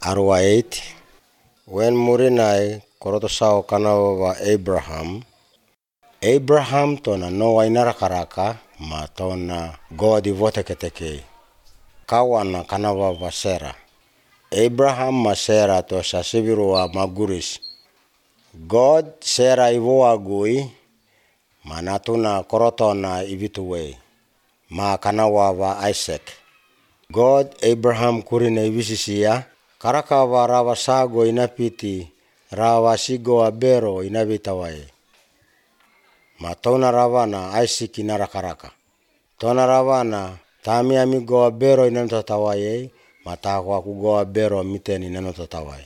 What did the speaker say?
Arua 8. When murinai korotosao kanawa Abraham. Abraham tona Noa inarakaraka ma tona God ivoteketeke. Kawana kanawa wa Sera. Abraham ma Sera to sasivirua maguris. God Sera ivoagui ma natuna korotona ivituwe. Ma kanawa wa Isaac. God Abraham kurine ivisisia. Karakawa rawa sago inapiti. Rawa sigo abero inavitawae. Ma tona ravana Isaac inarakaraka. Tona ravana tami amigo abero inanotatawae. Ma takwa kugo abero miteni inanotatawae.